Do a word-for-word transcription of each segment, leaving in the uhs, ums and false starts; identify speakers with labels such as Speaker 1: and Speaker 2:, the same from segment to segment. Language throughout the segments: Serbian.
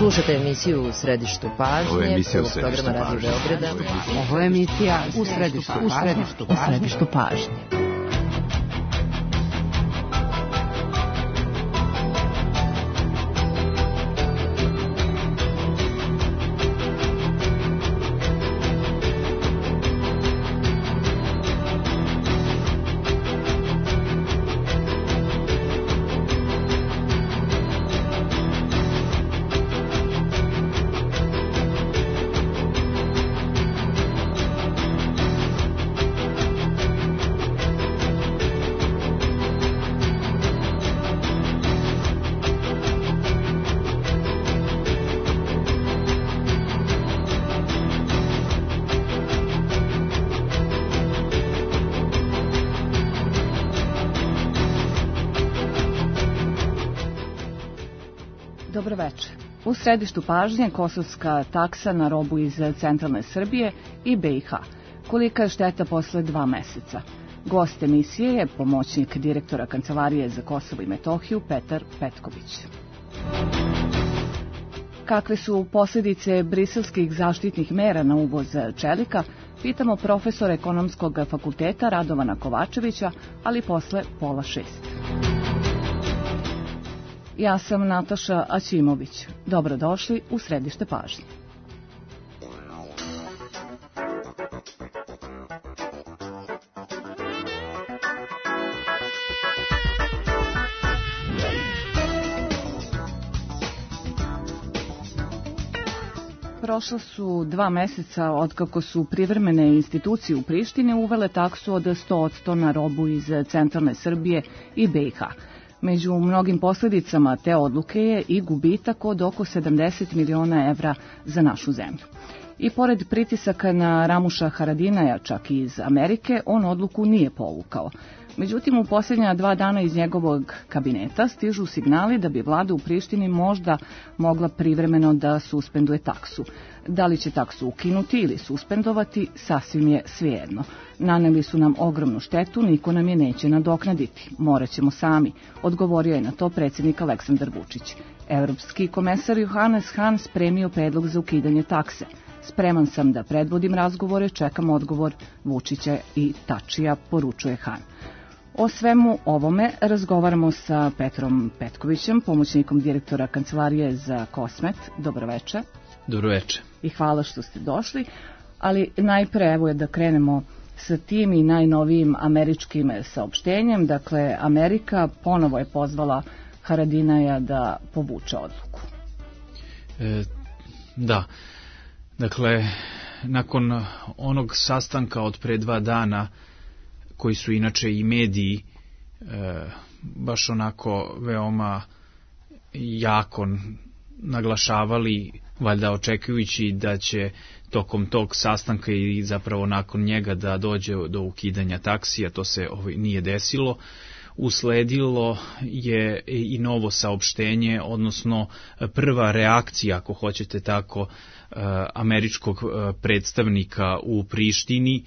Speaker 1: Slušate emisiju U središtu pažnje.
Speaker 2: Ovo je emisija U
Speaker 1: središtu pažnje.
Speaker 3: Ovo je emisija U središtu pažnje. U središtu pažnje. Dobro večer. U središtu pažnje kosovska taksa na robu iz centralne Srbije i B i H. Kolika je šteta posle dva meseca? Gost emisije je pomoćnik direktora Kancelarije za Kosovo i Metohiju Petar Petković. Kakve su posljedice briselskih zaštitnih mera na uvoz čelika, pitamo profesora Ekonomskog fakulteta Radovana Kovačevića, ali posle pola šest. Ja sam Nataša Aćimović. Dobrodošli u središte pažnje. Prošla su dva meseca otkako su privremene institucije u Prištini uvele taksu od sto posto na robu iz centralne Srbije i B i H. Među mnogim posljedicama te odluke je i gubitak od oko sedamdeset miliona evra za našu zemlju. I pored pritisaka na Ramuša Haradinaja, čak i iz Amerike, on odluku nije povukao. Međutim, u posljednja dva dana iz njegovog kabineta stižu signali da bi vlada u Prištini možda mogla privremeno da suspenduje taksu. Da li će taksu ukinuti ili suspendovati, sasvim je svejedno. Naneli su nam ogromnu štetu, niko nam je neće nadoknaditi. Morat ćemo sami, odgovorio je na to predsjednik Aleksandar Vučić. Evropski komesar Johannes Hahn spremio predlog za ukidanje takse. Spreman sam da predvodim razgovore, čekam odgovor Vučića i Tačija, poručuje Hahn. O svemu ovome razgovaramo sa Petrom Petkovićem, pomoćnikom direktora Kancelarije za Kosmet. Dobro večer.
Speaker 4: Dobro večer.
Speaker 1: I hvala što ste došli, ali najpre evo je da krenemo sa tim i najnovijim američkim saopštenjem. Dakle, Amerika ponovo je pozvala Haradinaja da povuče odluku.
Speaker 4: E, da, dakle, nakon onog sastanka od pre dva dana, koji su inače i mediji e, baš onako veoma jako naglašavali, valjda očekujući da će tokom tog sastanka i zapravo nakon njega da dođe do ukidanja taksija, to se ovaj, nije desilo. Usledilo je i novo saopštenje, odnosno prva reakcija, ako hoćete tako, američkog predstavnika u Prištini,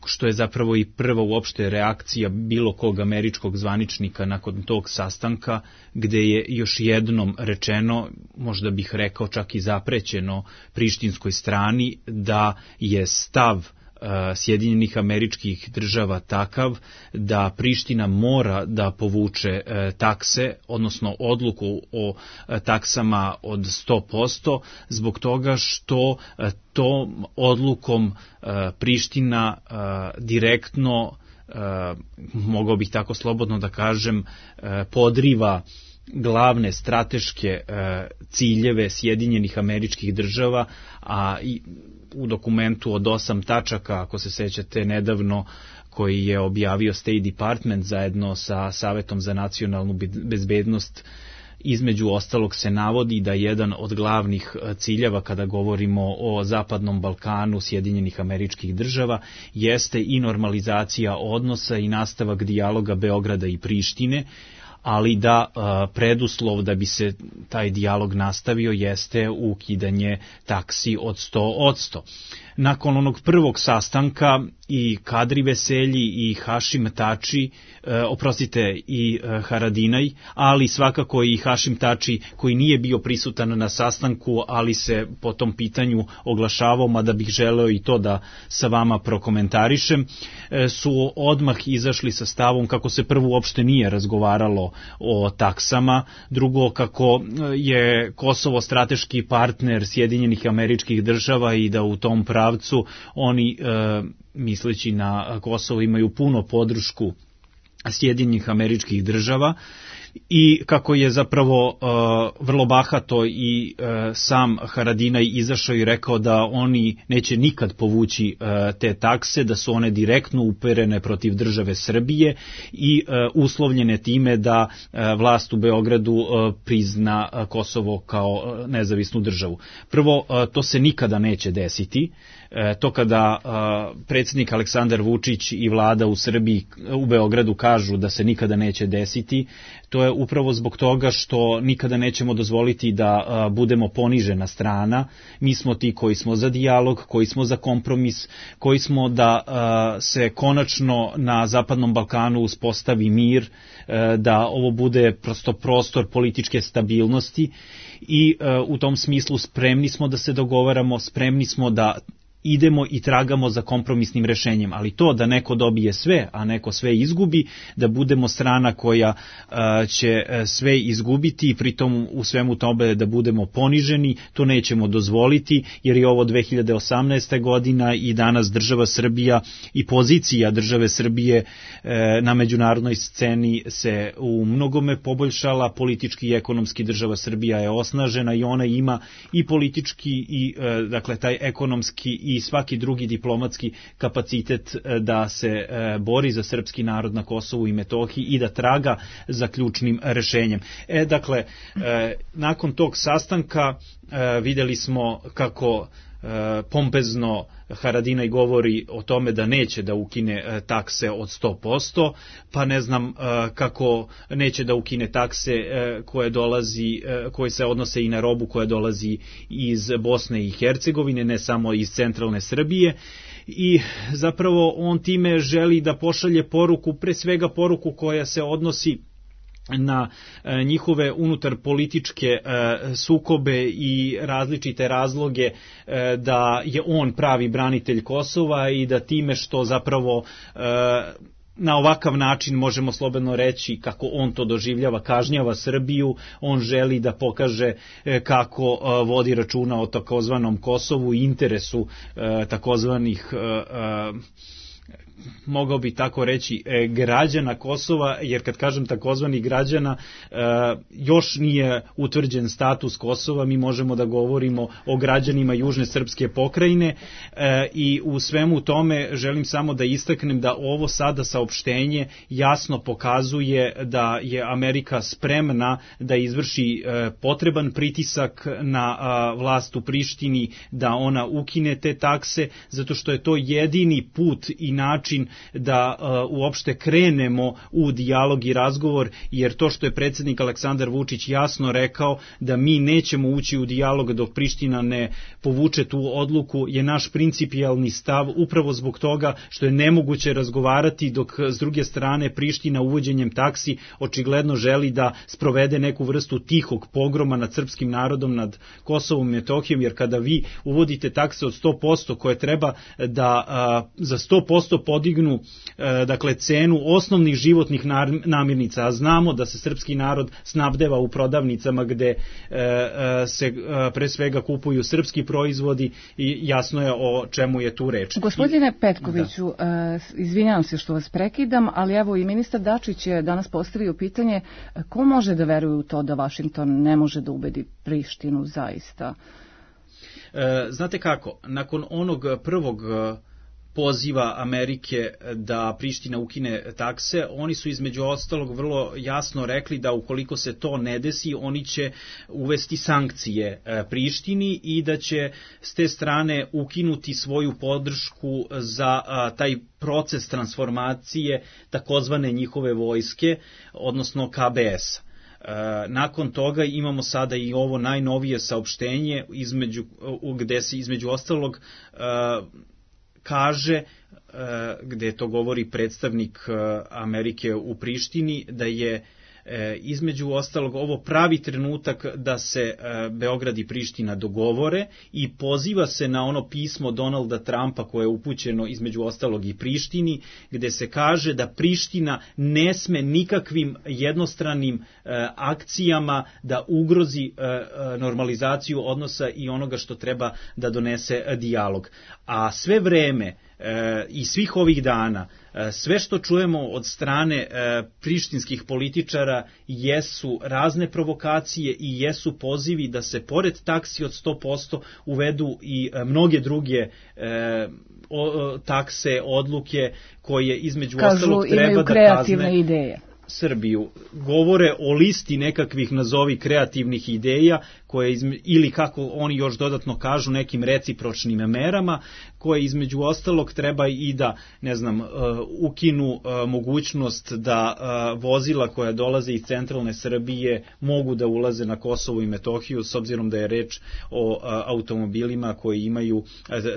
Speaker 4: što je zapravo i prva uopšte reakcija bilo kog američkog zvaničnika nakon tog sastanka, gde je još jednom rečeno, možda bih rekao čak i zaprećeno prištinskoj strani, da je stav Sjedinjenih Američkih Država takav da Priština mora da povuče takse, odnosno odluku o taksama od sto posto, zbog toga što tom odlukom Priština direktno, mogao bih tako slobodno da kažem, podriva glavne strateške ciljeve Sjedinjenih Američkih Država, a i u dokumentu od osam tačaka, ako se sećate nedavno, koji je objavio State Department zajedno sa Savetom za nacionalnu bezbednost, između ostalog se navodi da jedan od glavnih ciljeva kada govorimo o Zapadnom Balkanu Sjedinjenih Američkih Država jeste i normalizacija odnosa i nastavak dijaloga Beograda i Prištine, ali da preduslov da bi se taj dijalog nastavio jeste ukidanje taksi od sto posto. Nakon onog prvog sastanka i Kadri Veselji i Hašim Tači, e, oprostite i e, Haradinaj, ali svakako i Hašim Tači koji nije bio prisutan na sastanku, ali se po tom pitanju oglašavao, mada bih želeo i to da sa vama prokomentarišem, e, su odmah izašli sa stavom kako se prvo uopšte nije razgovaralo o taksama, drugo kako je Kosovo strateški partner Sjedinjenih Američkih Država i da u tom pravcu oni, e, misleći na Kosovo, imaju puno podršku Sjedinjenih Američkih Država i kako je zapravo uh, vrlo bahato i uh, sam Haradinaj izašao i rekao da oni neće nikad povući uh, te takse, da su one direktno uperene protiv države Srbije i uh, uslovljene time da uh, vlast u Beogradu uh, prizna uh, Kosovo kao uh, nezavisnu državu. Prvo, uh, to se nikada neće desiti. To kada uh, predsjednik Aleksandar Vučić i vlada u Srbiji, u Beogradu kažu da se nikada neće desiti, to je upravo zbog toga što nikada nećemo dozvoliti da uh, budemo ponižena strana. Mi smo ti koji smo za dijalog, koji smo za kompromis, koji smo da uh, se konačno na Zapadnom Balkanu uspostavi mir, uh, da ovo bude prosto prostor političke stabilnosti i uh, u tom smislu spremni smo da se dogovaramo, spremni smo da idemo i tragamo za kompromisnim rešenjem, ali to da neko dobije sve, a neko sve izgubi, da budemo strana koja a, će sve izgubiti i pritom u svemu tome da budemo poniženi, to nećemo dozvoliti, jer je ovo dve hiljade osamnaesta godina i danas država Srbija i pozicija države Srbije e, na međunarodnoj sceni se u mnogome poboljšala, politički i ekonomski država Srbija je osnažena i ona ima i politički i e, dakle taj ekonomski i svaki drugi diplomatski kapacitet da se bori za srpski narod na Kosovu i Metohiji i da traga za ključnim rešenjem. E, dakle, nakon tog sastanka videli smo kako pompezno Haradinaj govori o tome da neće da ukine takse od sto posto, pa ne znam kako neće da ukine takse koje dolazi, koje se odnose i na robu koja dolazi iz Bosne i Hercegovine, ne samo iz centralne Srbije. I zapravo on time želi da pošalje poruku, pre svega poruku koja se odnosi na e, njihove unutar političke e, sukobe i različite razloge e, da je on pravi branitelj Kosova i da time što zapravo e, na ovakav način možemo slobodno reći kako on to doživljava, kažnjava Srbiju, on želi da pokaže e, kako e, vodi računa o takozvanom Kosovu i interesu e, takozvanih e, e, mogao bi tako reći e, građana Kosova, jer kad kažem takozvanih građana, e, još nije utvrđen status Kosova, mi možemo da govorimo o građanima južne srpske pokrajine e, i u svemu tome želim samo da istaknem da ovo sada saopštenje jasno pokazuje da je Amerika spremna da izvrši e, potreban pritisak na a, vlast u Prištini da ona ukine te takse, zato što je to jedini put i način da uh, uopšte krenemo u dijalog i razgovor, jer to što je predsjednik Aleksandar Vučić jasno rekao da mi nećemo ući u dijalog dok Priština ne povuče tu odluku je naš principijalni stav, upravo zbog toga što je nemoguće razgovarati dok s druge strane Priština uvođenjem taksi očigledno želi da sprovede neku vrstu tihog pogroma nad srpskim narodom, nad Kosovom i Metohijom, jer kada vi uvodite takse od sto posto koje treba da a, za sto posto podignu e, dakle cenu osnovnih životnih namirnica, a znamo da se srpski narod snabdeva u prodavnicama gde e, e, se e, pre svega kupuju srpski proizvodi i jasno je o čemu je tu reč.
Speaker 1: Gospodine Petkoviću, da. Izvinjavam se što vas prekidam, ali evo i ministar Dačić je danas postavio pitanje ko može da veruje u to da Vašington ne može da ubedi Prištinu zaista?
Speaker 4: E, znate kako, nakon onog prvog poziva Amerike da Priština ukine takse, oni su između ostalog vrlo jasno rekli da ukoliko se to ne desi, oni će uvesti sankcije Prištini i da će s te strane ukinuti svoju podršku za taj proces transformacije takozvane njihove vojske, odnosno K B S. Nakon toga imamo sada i ovo najnovije saopštenje između, gde se između ostalog kaže, gde to govori predstavnik Amerike u Prištini, da je između ostalog ovo pravi trenutak da se Beograd i Priština dogovore i poziva se na ono pismo Donalda Trumpa koje je upućeno između ostalog i Prištini, gde se kaže da Priština ne sme nikakvim jednostranim akcijama da ugrozi normalizaciju odnosa i onoga što treba da donese dijalog. A sve vreme i svih ovih dana, sve što čujemo od strane prištinskih političara jesu razne provokacije i jesu pozivi da se pored taksi od sto posto uvedu i mnoge druge takse, odluke koje između
Speaker 1: Kažu,
Speaker 4: ostalog treba da kazne
Speaker 1: ideje.
Speaker 4: Srbiju. Govore o listi nekakvih nazovi kreativnih ideja koje izme, ili kako oni još dodatno kažu nekim recipročnim merama koje između ostalog treba i da, ne znam, uh, ukinu uh, mogućnost da uh, vozila koja dolaze iz centralne Srbije mogu da ulaze na Kosovo i Metohiju s obzirom da je reč o uh, automobilima koji imaju uh,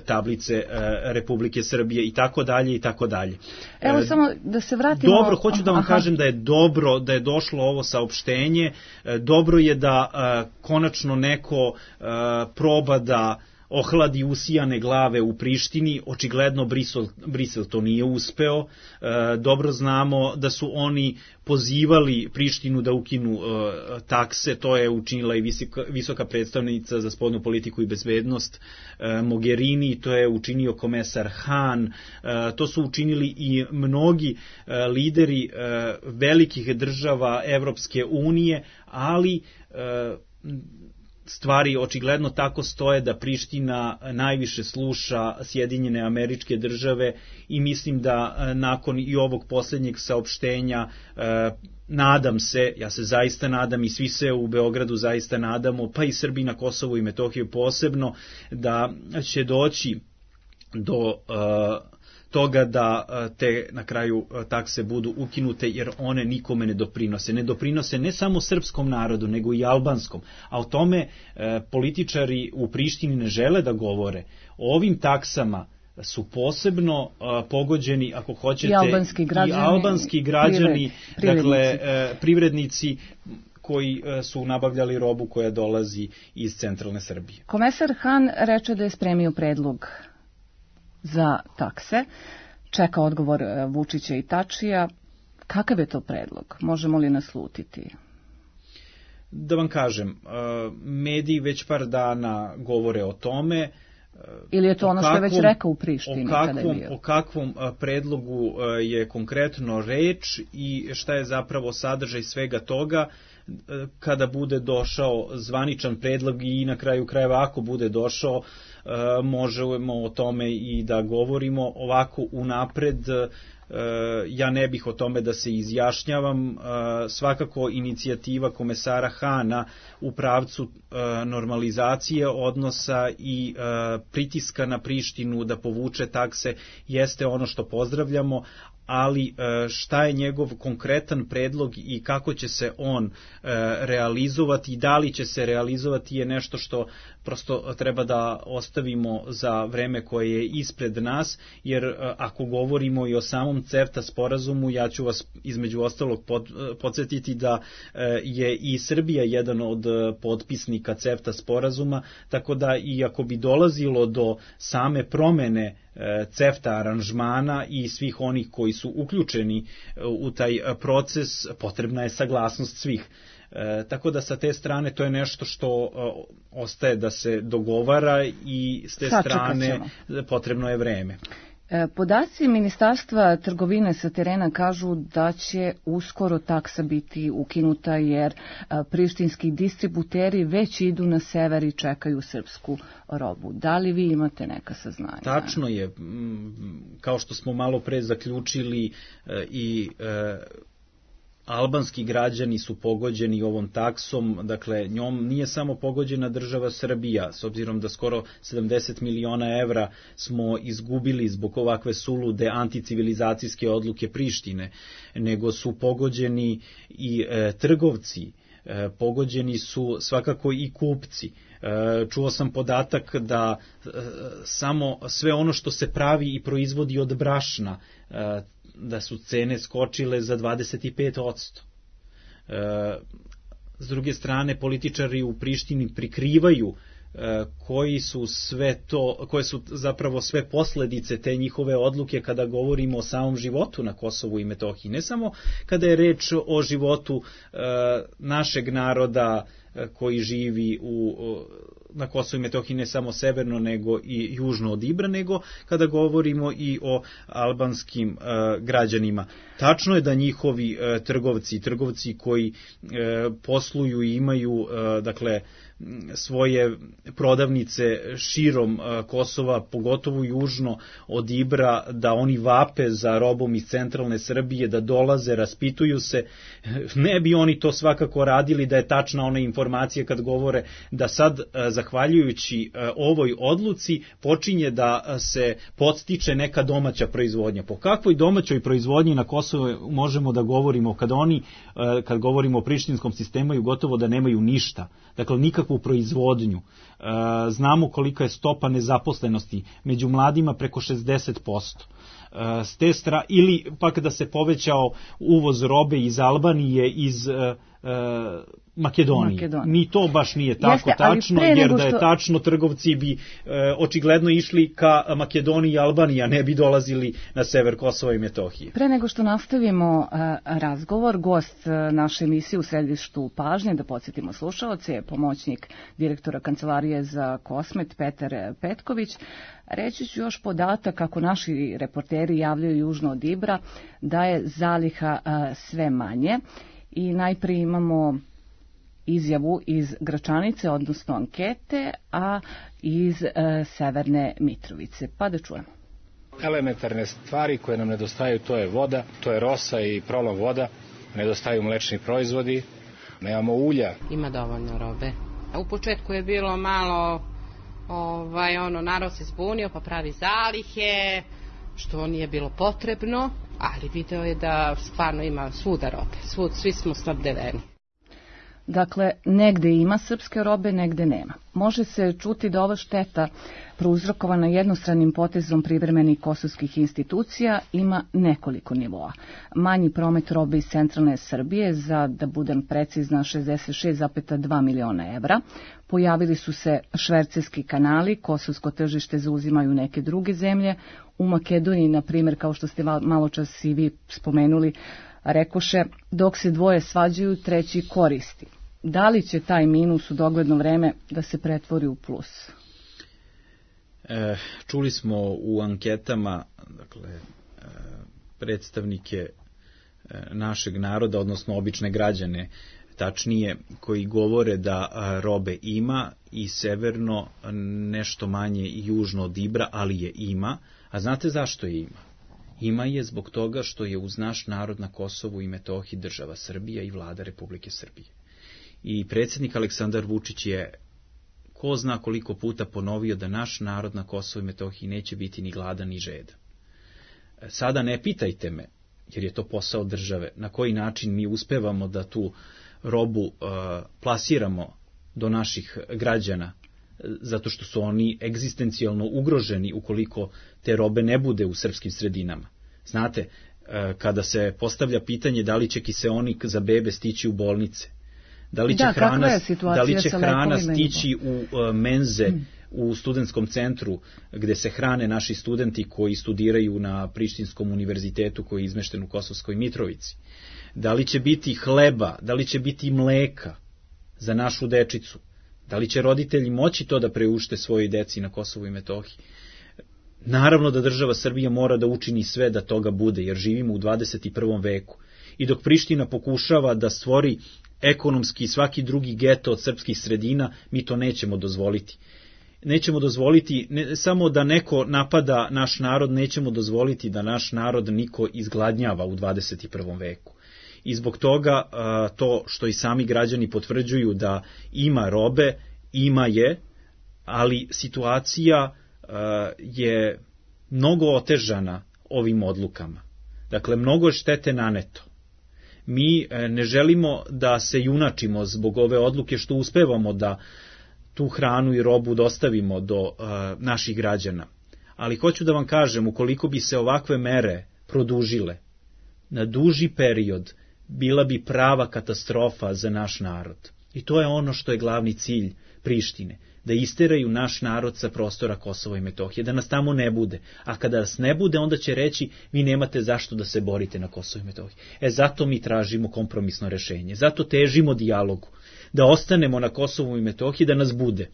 Speaker 4: tablice uh, Republike Srbije i tako dalje i tako dalje.
Speaker 1: Evo uh, samo da se vratimo.
Speaker 4: Dobro, hoću da vam Aha. kažem da je dobro da je došlo ovo saopštenje, uh, dobro je da uh, konačno neko uh, proba da ohladi usijane glave u Prištini, očigledno Brisel, Brisel to nije uspeo. E, dobro znamo da su oni pozivali Prištinu da ukinu e, takse, to je učinila i visoka, visoka predstavnica za spoljnu politiku i bezbednost e, Mogherini, to je učinio komesar Han, e, to su učinili i mnogi e, lideri e, velikih država Evropske unije, ali e, stvari očigledno tako stoje da Priština najviše sluša Sjedinjene Američke Države i mislim da nakon i ovog posljednjeg saopštenja nadam se, ja se zaista nadam i svi se u Beogradu zaista nadamo, pa i Srbi na Kosovu i Metohiju posebno, da će doći do toga da te na kraju takse budu ukinute jer one nikome ne doprinose. Ne doprinose ne samo srpskom narodu, nego i albanskom. A o tome e, političari u Prištini ne žele da govore. O ovim taksama su posebno a, pogođeni, ako hoćete,
Speaker 1: i albanski građani,
Speaker 4: i albanski građani privred, dakle e, privrednici koji e, su nabavljali robu koja dolazi iz centralne Srbije.
Speaker 1: Komesar Han reče da je spremio predlog za takse, čeka odgovor Vučića i Tačija. Kakav je to predlog? Možemo li naslutiti?
Speaker 4: Da vam kažem, mediji već par dana govore o tome.
Speaker 1: Ili je to ono što je već rekao u Prištini?
Speaker 4: O kakvom, o kakvom predlogu je konkretno reč i šta je zapravo sadržaj svega toga kada bude došao zvaničan predlog i na kraju krajeva ako bude došao, možemo o tome i da govorimo. Ovako unapred ja ne bih o tome da se izjašnjavam. Svakako inicijativa komesara Hana u pravcu normalizacije odnosa i pritiska na Prištinu da povuče takse jeste ono što pozdravljamo, ali šta je njegov konkretan predlog i kako će se on realizovati i da li će se realizovati je nešto što prosto treba da ostavimo za vreme koje je ispred nas, jer ako govorimo i o samom CEFTA sporazumu, ja ću vas između ostalog podsjetiti da je i Srbija jedan od potpisnika CEFTA sporazuma, tako da i ako bi dolazilo do same promene CEFTA aranžmana i svih onih koji su uključeni u taj proces, potrebna je saglasnost svih. E, tako da sa te strane to je nešto što e, ostaje da se dogovara i s te
Speaker 1: Sačekat
Speaker 4: strane
Speaker 1: ćemo.
Speaker 4: Potrebno je vreme.
Speaker 1: Podaci Ministarstva trgovine sa terena kažu da će uskoro taksa biti ukinuta jer prištinski distributeri već idu na sever i čekaju srpsku robu. Da li vi imate neka saznanja?
Speaker 4: Tačno je. Kao što smo malo pre zaključili i albanski građani su pogođeni ovom taksom, dakle njom nije samo pogođena država Srbija, s obzirom da skoro sedamdeset miliona evra smo izgubili zbog ovakve sulude anticivilizacijske odluke Prištine, nego su pogođeni i e, trgovci, e, pogođeni su svakako i kupci. E, čuo sam podatak da e, samo sve ono što se pravi i proizvodi od brašna, e, da su cene skočile za dvadeset pet posto. E, s druge strane, političari u Prištini prikrivaju e, koji su sve to, koje su zapravo sve posledice te njihove odluke kada govorimo o samom životu na Kosovu i Metohiji. Ne samo kada je reč o životu e, našeg naroda e, koji živi u na Kosovu i Metohiji, ne samo severno nego i južno od Ibra, nego kada govorimo i o albanskim e, građanima. Tačno je da njihovi e, trgovci, trgovci koji e, posluju i imaju e, dakle svoje prodavnice širom e, Kosova, pogotovo južno od Ibra, da oni vape za robom iz centralne Srbije, da dolaze, raspituju se. Ne bi oni to svakako radili da je tačna ona informacija kad govore da sad e, zahvaljujući e, ovoj odluci počinje da se podstiče neka domaća proizvodnja. Po kakvoj domaćoj proizvodnji na Kosovu možemo da govorimo kad oni, e, kad govorimo o prištinskom sistemu, gotovo da nemaju ništa, dakle nikakvu proizvodnju. E, znamo kolika je stopa nezaposlenosti, među mladima preko šezdeset posto. E, s te stra, ili pak da se povećao uvoz robe iz Albanije, iz e, Makedonije. Makedonije. Ni to baš nije tako Jeste, tačno, jer da je što... tačno, trgovci bi e, očigledno išli ka Makedoniji i Albaniji, a ne bi dolazili na sever Kosova i Metohije.
Speaker 1: Pre nego što nastavimo a, razgovor, gost a, naše emisije u središtu pažnje, da podsjetimo slušalce, je pomoćnik direktora Kancelarije za Kosmet Petar Petković. Reći ću još podatak, kako naši reporteri javljaju južno od Ibra, da je zaliha a, sve manje. I najprije imamo izjavu iz Gračanice, odnosno ankete, a iz e, Severne Mitrovice. Pa da čujemo.
Speaker 2: Elementarne stvari koje nam nedostaju, to je voda, to je rosa i prolom voda, nedostaju mlečni proizvodi, nemamo ulja.
Speaker 5: Ima dovoljno robe. U početku je bilo malo, ovaj, ono, narod se zbunio pa pravi zalihe, što nije bilo potrebno, ali video je da stvarno ima svuda robe, svud, svi smo snabdeveni.
Speaker 1: Dakle, negde ima srpske robe, negde nema. Može se čuti da ova šteta prouzrokovana jednostranim potezom privremenih kosovskih institucija ima nekoliko nivoa. Manji promet robe iz centralne Srbije, za da budem precizna šezdeset šest zarez dva miliona evra. Pojavili su se švercerski kanali, kosovsko tržište zauzimaju neke druge zemlje. U Makedoniji, na primjer, kao što ste malo čas i vi spomenuli, rekoše, dok se dvoje svađaju, treći koristi. Da li će taj minus u dogledno vreme da se pretvori u plus?
Speaker 4: E, čuli smo u anketama, dakle, e, predstavnike e, našeg naroda, odnosno obične građane, tačnije, koji govore da a, robe ima i severno, nešto manje i južno od Ibra, ali je ima. A znate zašto je ima? Ima je zbog toga što je uz naš narod na Kosovu i Metohiji država Srbija i vlada Republike Srbije. I predsjednik Aleksandar Vučić je ko zna koliko puta ponovio da naš narod na Kosovu i Metohiji neće biti ni gladan ni žedan. Sada ne pitajte me, jer je to posao države, na koji način mi uspevamo da tu robu uh, plasiramo do naših građana, zato što su oni egzistencijalno ugroženi ukoliko te robe ne bude u srpskim sredinama. Znate, kada se postavlja pitanje da li će kiseonik za bebe stići u bolnice, da li će
Speaker 1: da,
Speaker 4: hrana, da li će hrana stići u menze, hmm. u studentskom centru gde se hrane naši studenti koji studiraju na Prištinskom univerzitetu koji je izmešten u Kosovskoj Mitrovici, da li će biti hleba, da li će biti mleka za našu dečicu, da li će roditelji moći to da preušte svojoj deci na Kosovu i Metohiji?
Speaker 6: Naravno da država Srbija mora da učini sve da toga bude, jer živimo u dvadeset prvom veku. I dok Priština pokušava da stvori ekonomski i svaki drugi geto od srpskih sredina, mi to nećemo dozvoliti. Nećemo dozvoliti ne samo da neko napada naš narod, nećemo dozvoliti da naš narod niko izgladnjava u dvadeset prvom veku. I zbog toga to što i sami građani potvrđuju da ima robe, ima je, ali situacija je mnogo otežana ovim odlukama. Dakle, mnogo je štete naneto. Mi ne želimo da se junačimo zbog ove odluke što uspevamo da tu hranu i robu dostavimo do uh, naših građana. Ali hoću da vam kažem, ukoliko bi se ovakve mere produžile na duži period, bila bi prava katastrofa za naš narod. I to je ono što je glavni cilj Prištine, da isteraju naš narod sa prostora Kosova i Metohije, da nas tamo ne bude. A kada nas ne bude, onda će reći, vi nemate zašto da se borite na Kosovo i Metohiji. E, zato mi tražimo kompromisno rešenje, zato težimo dijalogu, da ostanemo na Kosovu i Metohiji, da nas bude.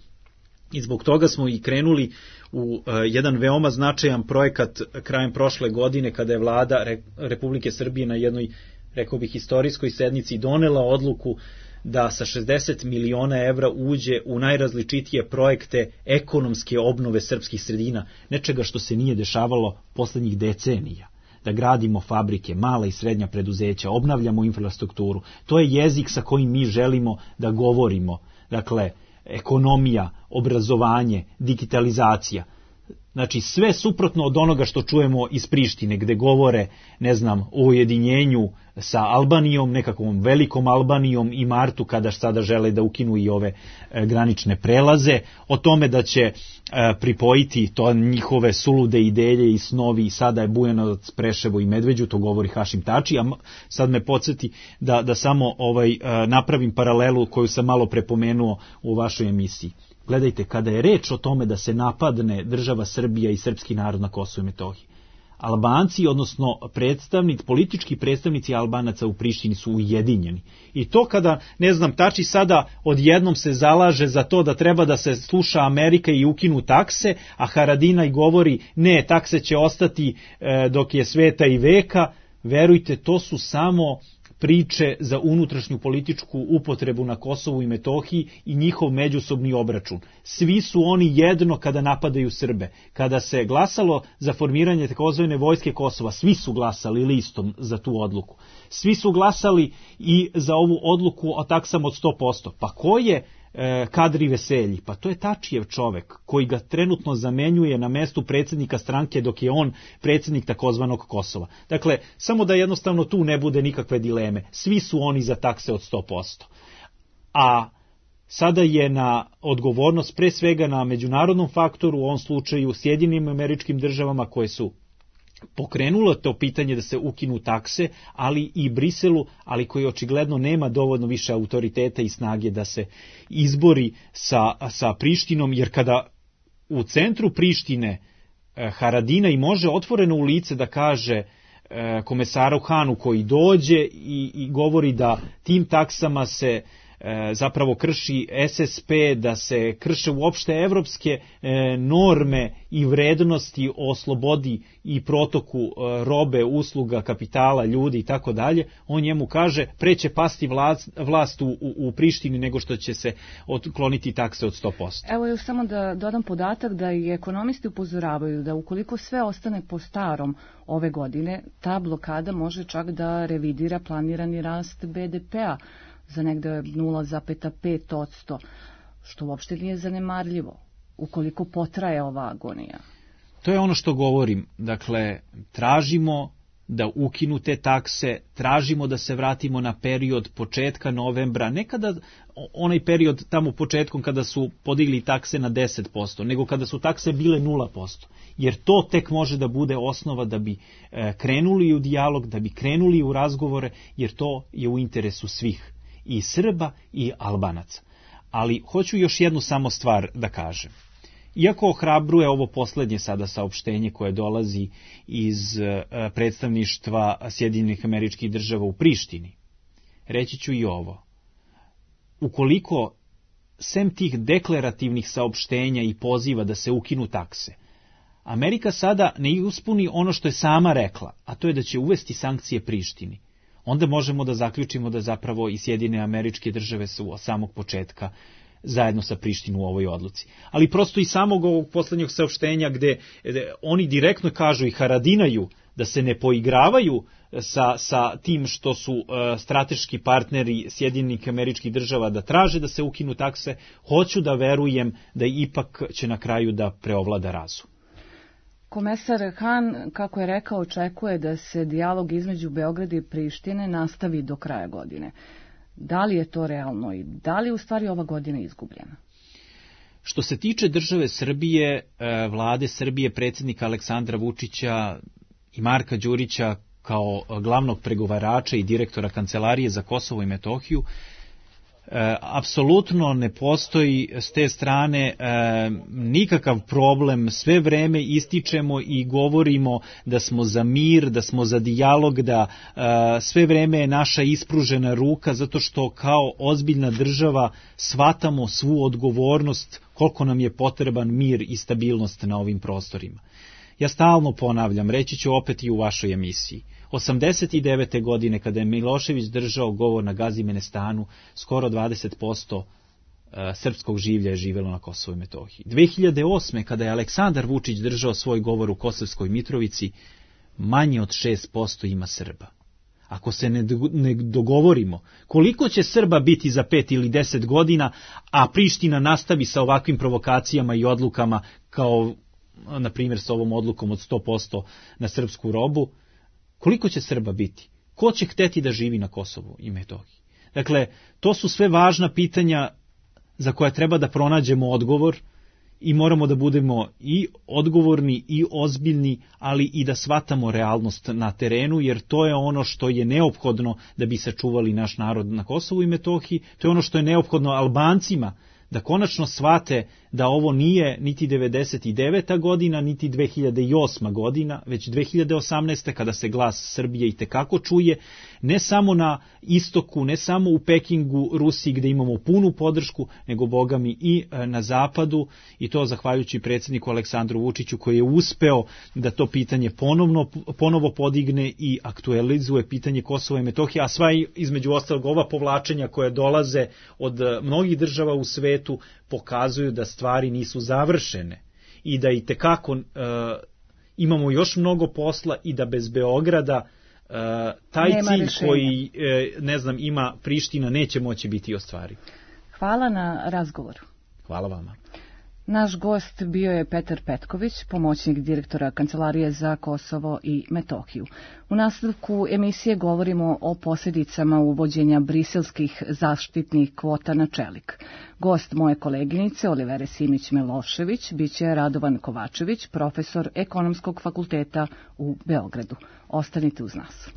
Speaker 6: I zbog toga smo i krenuli u uh, jedan veoma značajan projekat krajem prošle godine, kada je vlada Re- Republike Srbije na jednoj, rekao bih, istorijskoj sednici donela odluku da sa šezdeset miliona evra uđe u najrazličitije projekte ekonomske obnove srpskih sredina, nečega što se nije dešavalo poslednjih decenija. Da gradimo fabrike, mala i srednja preduzeća, obnavljamo infrastrukturu. To je jezik sa kojim mi želimo da govorimo. Dakle, ekonomija, obrazovanje, digitalizacija. Znači, sve suprotno od onoga što čujemo iz Prištine, gde govore, ne znam, o ujedinjenju sa Albanijom, nekakvom velikom Albanijom i martu, kada sada žele da ukinu i ove e, granične prelaze, o tome da će e, pripojiti to njihove sulude ideje i snovi, i sada je Bujanovac, Preševo i Medveđu, to govori Hašim Tači, a sad me podsjeti da, da samo ovaj, e, napravim paralelu koju sam malo prepomenuo u vašoj emisiji. Gledajte, kada je reč o tome da se napadne država Srbija i srpski narod na Kosovu i Metohiji, Albanci, odnosno predstavnici, politički predstavnici Albanaca u Prištini su ujedinjeni. I to kada, ne znam, Tači sada odjednom se zalaže za to da treba da se sluša Amerika i ukinu takse, a Haradinaj govori ne, takse će ostati e, dok je sveta i veka, verujte, to su samo priče za unutrašnju političku upotrebu na Kosovu i Metohiji i njihov međusobni obračun. Svi su oni jedno kada napadaju Srbe. Kada se glasalo za formiranje takozvane vojske Kosova, svi su glasali listom za tu odluku. Svi su glasali i za ovu odluku o taksama od sto posto. Pa ko je e, Kadri Veselji? Pa to je Tačijev čovek koji ga trenutno zamenjuje na mestu predsjednika stranke dok je on predsjednik takozvanog Kosova. Dakle, samo da jednostavno tu ne bude nikakve dileme. Svi su oni za takse od sto posto. A sada je na odgovornost pre svega na međunarodnom faktoru, u ovom slučaju Sjedinjenim Američkim Državama, koje su pokrenulo to pitanje da se ukinu takse, ali i Briselu, ali koji očigledno nema dovoljno više autoriteta i snage da se izbori sa, sa Prištinom, jer kada u centru Prištine eh, Haradinaj može otvoreno u lice da kaže eh, komesaru Hanu koji dođe i, i govori da tim taksama se zapravo krši S S P, da se krše uopšte evropske norme i vrednosti o slobodi i protoku robe, usluga, kapitala, ljudi i tako dalje, on njemu kaže pre će pasti vlast, vlast u, u, u Prištini nego što će se otkloniti takse od sto posto.
Speaker 1: Evo još samo da dodam podatak da i ekonomisti upozoravaju da ukoliko sve ostane po starom ove godine, ta blokada može čak da revidira planirani rast B D P-a za negde nula zarez pet posto, što uopšte nije zanemarljivo, ukoliko potraje ova agonija.
Speaker 6: To je ono što govorim. Dakle, tražimo da ukinu te takse, tražimo da se vratimo na period početka novembra, ne kada onaj period tamo početkom kada su podigli takse na deset posto, nego kada su takse bile nula posto. Jer to tek može da bude osnova da bi e, krenuli u dijalog, da bi krenuli u razgovore, jer to je u interesu svih, i Srba i Albanaca. Ali hoću još jednu samo stvar da kažem. Iako ohrabruje ovo poslednje sada saopštenje koje dolazi iz predstavništva Sjedinjenih Američkih Država u Prištini, reći ću i ovo. Ukoliko sem tih deklarativnih saopštenja i poziva da se ukinu takse, Amerika sada ne ispuni ono što je sama rekla, a to je da će uvesti sankcije Prištini, onda možemo da zaključimo da zapravo i Sjedinjene Američke Države su od samog početka zajedno sa Prištinom u ovoj odluci. Ali prosto i samog ovog poslednjeg saopštenja gde, gde oni direktno kažu i Haradinaju da se ne poigravaju sa, sa tim što su uh, strateški partneri Sjedinjenih Američkih Država da traže da se ukinu takse, hoću da verujem da ipak će na kraju da preovlada razum.
Speaker 1: Komesar Han, kako je rekao, očekuje da se dijalog između Beograda i Prištine nastavi do kraja godine. Da li je to realno i da li je u stvari ova godina izgubljena?
Speaker 6: Što se tiče države Srbije, vlade Srbije, predsjednika Aleksandra Vučića i Marka Đurića kao glavnog pregovarača i direktora Kancelarije za Kosovo i Metohiju, E, apsolutno ne postoji s te strane e, nikakav problem, sve vreme ističemo i govorimo da smo za mir, da smo za dijalog, da e, sve vreme je naša ispružena ruka, zato što kao ozbiljna država shvatamo svu odgovornost koliko nam je potreban mir i stabilnost na ovim prostorima. Ja stalno ponavljam, reći ću opet i u vašoj emisiji, osamdeset devete godine kada je Milošević držao govor na Gazimenestanu, skoro dvadeset posto srpskog življa je živelo na Kosovu i Metohiji. dve hiljade osme kada je Aleksandar Vučić držao svoj govor u Kosovskoj Mitrovici, manje od šest posto ima Srba. Ako se ne dogovorimo koliko će Srba biti za pet ili deset godina, a Priština nastavi sa ovakvim provokacijama i odlukama kao na primjer sa ovom odlukom od sto posto na srpsku robu, koliko će Srba biti? Ko će hteti da živi na Kosovu i Metohiji? Dakle, to su sve važna pitanja za koja treba da pronađemo odgovor i moramo da budemo i odgovorni i ozbiljni, ali i da shvatamo realnost na terenu, jer to je ono što je neophodno da bi sačuvali naš narod na Kosovu i Metohiji, to je ono što je neophodno Albancima, da konačno shvate da ovo nije niti devedeset deveta godina, niti dve hiljade osma godina, već dve hiljade osamnaeste kada se glas Srbije i tekako čuje, ne samo na istoku, ne samo u Pekingu, Rusiji gde imamo punu podršku, nego bogami i na zapadu, i to zahvaljujući predsjedniku Aleksandru Vučiću koji je uspeo da to pitanje ponovno, ponovo podigne i aktualizuje pitanje Kosova i Metohije, a sva između ostalog ova povlačenja koje dolaze od mnogih država u svetu pokazuju da stvari nisu završene i da i tekako uh, imamo još mnogo posla i da bez Beograda uh, taj
Speaker 1: Nema
Speaker 6: cilj
Speaker 1: rešenja.
Speaker 6: koji uh, ne znam ima Priština neće moći biti ostvariv.
Speaker 1: Hvala na razgovoru.
Speaker 6: Hvala vama.
Speaker 1: Naš gost bio je Petar Petković, pomoćnik direktora Kancelarije za Kosovo i Metohiju. U nastavku emisije govorimo o posljedicama uvođenja briselskih zaštitnih kvota na čelik. Gost moje koleginice Olivere Simić-Milošević biće Radovan Kovačević, profesor Ekonomskog fakulteta u Beogradu. Ostanite uz nas.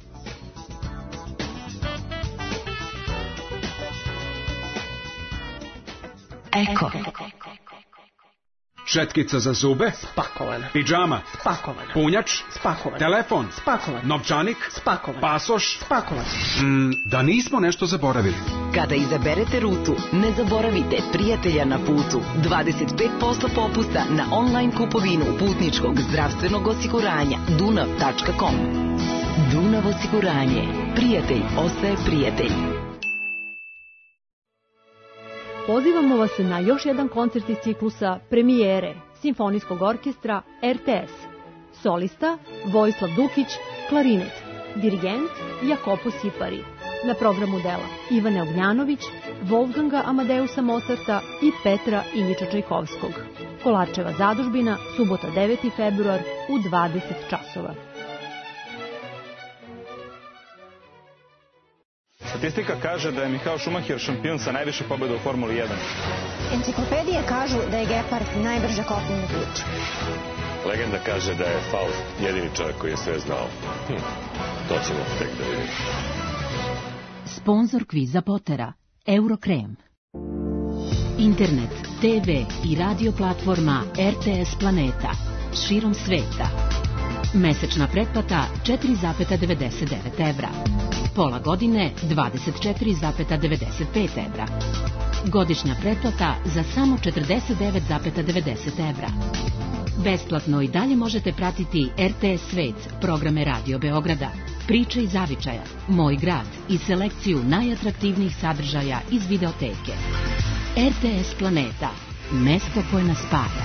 Speaker 7: Eko.
Speaker 8: Šetkica za zube?
Speaker 7: Spakovana.
Speaker 8: Pidžama?
Speaker 7: Spakovana.
Speaker 8: Punjač?
Speaker 7: Spakovan.
Speaker 8: Telefon?
Speaker 7: Spakovan.
Speaker 8: Novčanik?
Speaker 7: Spakovan.
Speaker 8: Pasoš?
Speaker 7: Spakovan.
Speaker 8: Mm, da nismo nešto zaboravili.
Speaker 7: Kada izaberete rutu, ne zaboravite prijatelja na putu. dvadeset pet posto popusta na online kupovinu putničkog zdravstvenog osiguranja dunav tačka com. Dunav osiguranje. Prijatelj ostaje prijatelj.
Speaker 9: Pozivamo vas na još jedan koncert iz ciklusa Premijere Simfonijskog orkestra R T S. Solista Vojislav Dukić, klarinet. Dirigent Jakopo Sipari. Na programu dela Ivane Ognjanović, Wolfganga Amadeusa Mozarta i Petra Iljiča Čajkovskog. Kolarčeva zadužbina, subota deveti februar u dvadeset časova.
Speaker 10: Statistika kaže da je Michael Schumacher šampion sa najviše pobjeda u Formuli jedan.
Speaker 11: Enciklopedije kažu da je Gepard najbrža kopnena priča.
Speaker 12: Legenda kaže da je Faust jedini čovjek koji je sve znao. Hm, to ćemo tek da vidimo.
Speaker 13: Sponzor kviza Potera, Eurokrem. Internet, te ve i radio platforma R T S Planeta, širom sveta. Mesečna pretplata četiri zarez devedeset devet evra. Pola godine dvadeset četiri zarez devedeset pet evra. Godišnja pretplata za samo četrdeset devet zarez devedeset evra. Besplatno i dalje možete pratiti R T S Svet, programe Radio Beograda, Priče iz Zavičaja, Moj grad i selekciju najatraktivnijih sadržaja iz videoteke. R T S Planeta, mesto koje nas spaja.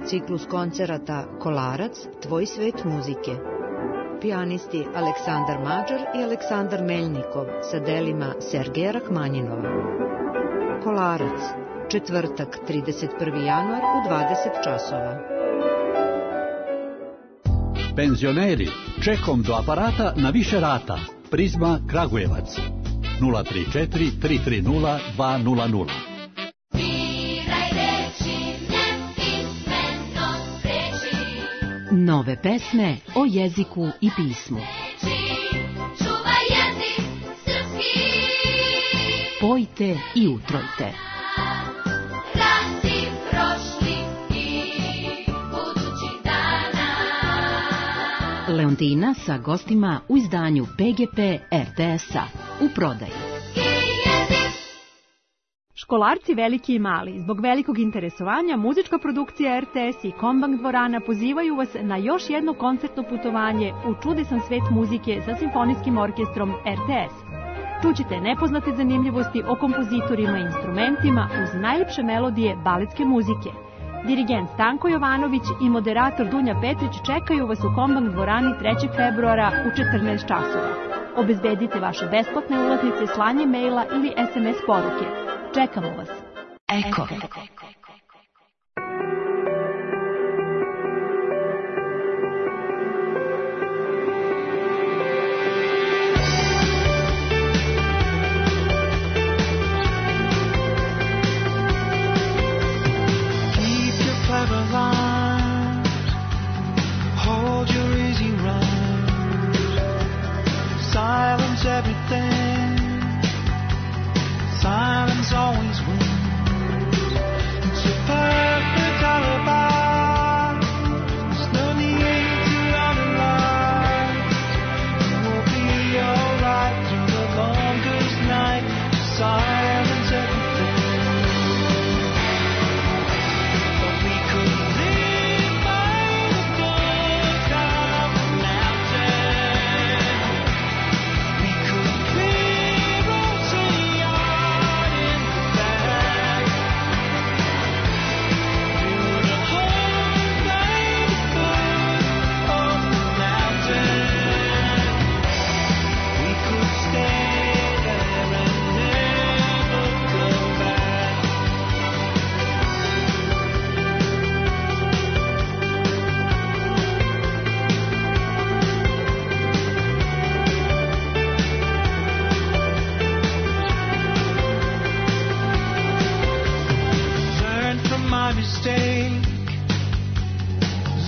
Speaker 14: Ciklus koncerata Kolarac, Tvoj svet muzike. Pijanisti Aleksandar Mađar i Aleksandar Meljnikov sa delima Sergeja Rahmanjinova. Kolarac, četvrtak, trideset prvi januar u dvadeset časova.
Speaker 15: Penzioneri, čekom do aparata na više rata. Prizma Kragujevac. nula tri četiri tri tri nula dva nula nula.
Speaker 13: Nove pesme o jeziku i pismu. Pojte i utrojte. Leontina sa gostima u izdanju P G P R T S-a u prodaji.
Speaker 9: Školarci veliki i mali, zbog velikog interesovanja, muzička produkcija R T S i Kombank dvorana pozivaju vas na još jedno koncertno putovanje u čudesan svet muzike sa simfonijskim orkestrom R T S. Čućete nepoznate zanimljivosti o kompozitorima i instrumentima uz najlepše melodije baletske muzike. Dirigent Stanko Jovanović i moderator Dunja Petrić čekaju vas u Kombank dvorani trećeg februara u četrnaest časova. Obezbedite vaše besplatne ulaznice slanjem maila ili S M S poruke. Čekamo vas.
Speaker 13: Eko.
Speaker 16: Silence everything. Silence always wins. It's a perfect alibi. There's no need to analyze. You will be alright through the longest night. Just silence everything. But we could live by the book of the mountain. We could clear ocean in the back. Build a home by the foot of the mountain. We could stay there and never go back. Learn from my mistake.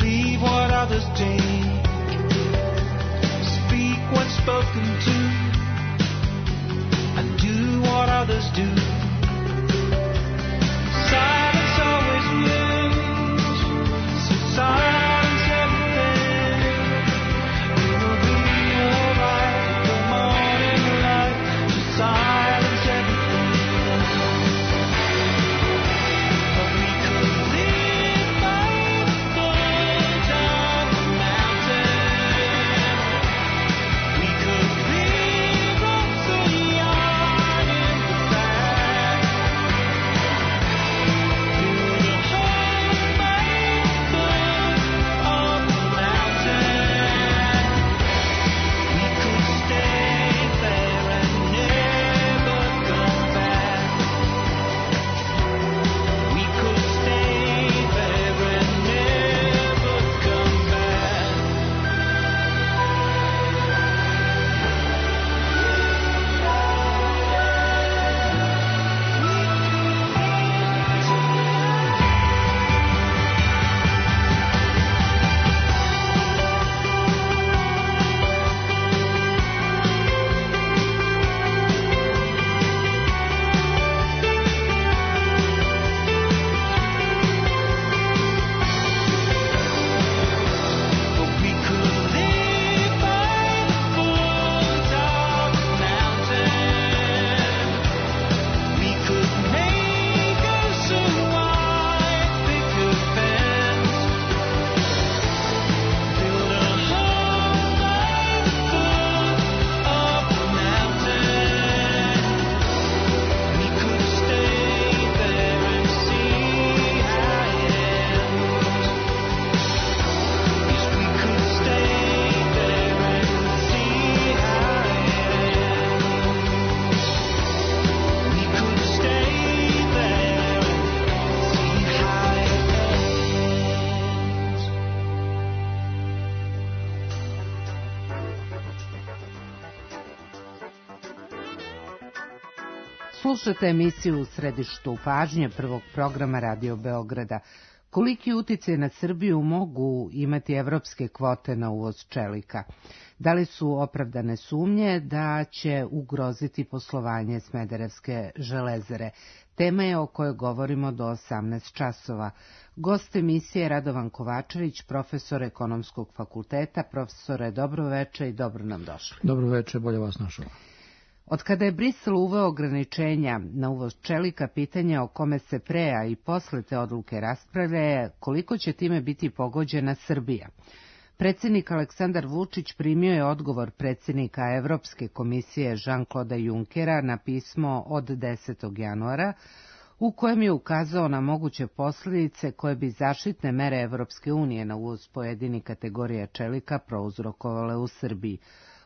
Speaker 16: Leave what others take. Speak what's spoken to. And do what others do. Silence always wins. So silence everything. We will be alright with the morning light. Just silence everything. But we could live by the foot of the mountain. We could live
Speaker 17: Slušate emisiju U središtu pažnje prvog programa Radio Beograda. Koliki uticaj na Srbiju mogu imati evropske kvote na uvoz čelika? Da li su opravdane sumnje da će ugroziti poslovanje Smederevske železare? Tema je o kojoj govorimo do osamnaest časova. Gost emisije je Radovan Kovačević, profesor Ekonomskog fakulteta. Profesore, dobro veče i dobro nam došli.
Speaker 18: Dobro veče, bolje vas našao.
Speaker 17: Od kada je Brisel uveo ograničenja na uvoz čelika, pitanje o kome se pre, a i posle te odluke raspravlja je koliko će time biti pogođena Srbija. Predsjednik Aleksandar Vučić primio je odgovor predsjednika Evropske komisije Jean-Claude Junckera na pismo od desetog januara, u kojem je ukazao na moguće posljedice koje bi zaštitne mere Evropske unije na uvoz pojedinih kategorija čelika prouzrokovale u Srbiji.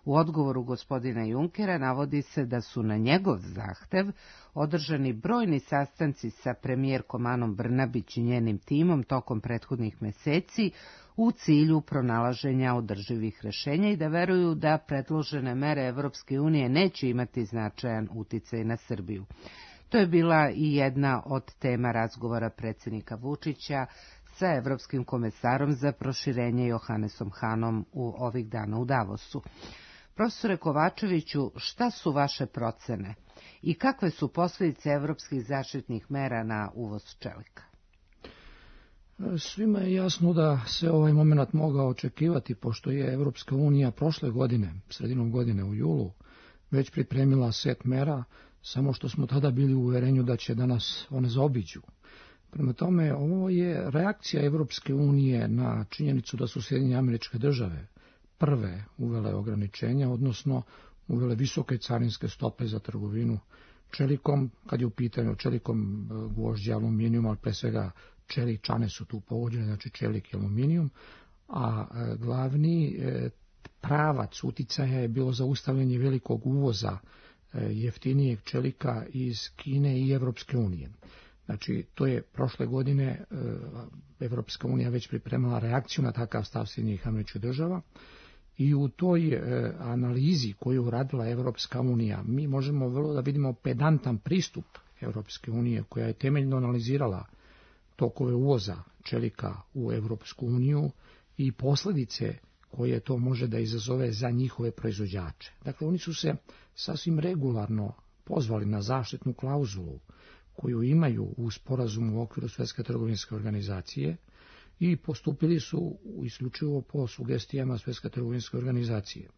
Speaker 17: U odgovoru gospodina Junckera navodi se da su na njegov zahtev održani brojni sastanci sa premijerkom Anom Brnabić i njenim timom tokom prethodnih meseci u cilju pronalaženja održivih rešenja i da veruju da predložene mere Evropske unije neće imati značajan uticaj na Srbiju. To je bila i jedna od tema razgovora predsjednika Vučića sa evropskim komesarom za proširenje Johannesom Hanom u ovih dana u Davosu. Profesore Kovačeviću, šta su vaše procene i kakve su posljedice evropskih zaštitnih mera na uvoz čelika?
Speaker 18: Svima je jasno da se ovaj moment mogao očekivati, pošto je Evropska unija prošle godine, sredinom godine u julu, već pripremila set mera, samo što smo tada bili u uverenju da će danas one zaobiđu. Prema tome, ovo je reakcija Evropske unije na činjenicu da su Sjedinjene Američke Države prve uvele ograničenja, odnosno uvele visoke carinske stope za trgovinu čelikom, kad je u pitanju čelikom, gvožđe, aluminijum, ali pre svega čeličane su tu pogođene, znači čelik i aluminijum, a glavni pravac uticaja je bilo zaustavljanje velikog uvoza jeftinijeg čelika iz Kine i Evropske unije. Znači, to je prošle godine Evropska unija već pripremala reakciju na takav stav Sjedinjenih Američkih Država i u toj e, analizi koju uradila Evropska unija mi možemo vrlo da vidimo pedantan pristup Evropske unije koja je temeljno analizirala tokove uvoza čelika u Evropsku uniju i posljedice koje to može da izazove za njihove proizvođače. Dakle, oni su se sasvim regularno pozvali na zaštitnu klauzulu koju imaju u sporazumu u okviru Svjetske trgovinske organizacije i postupili su isključivo po sugestijama Svjetske trgovinske organizacije.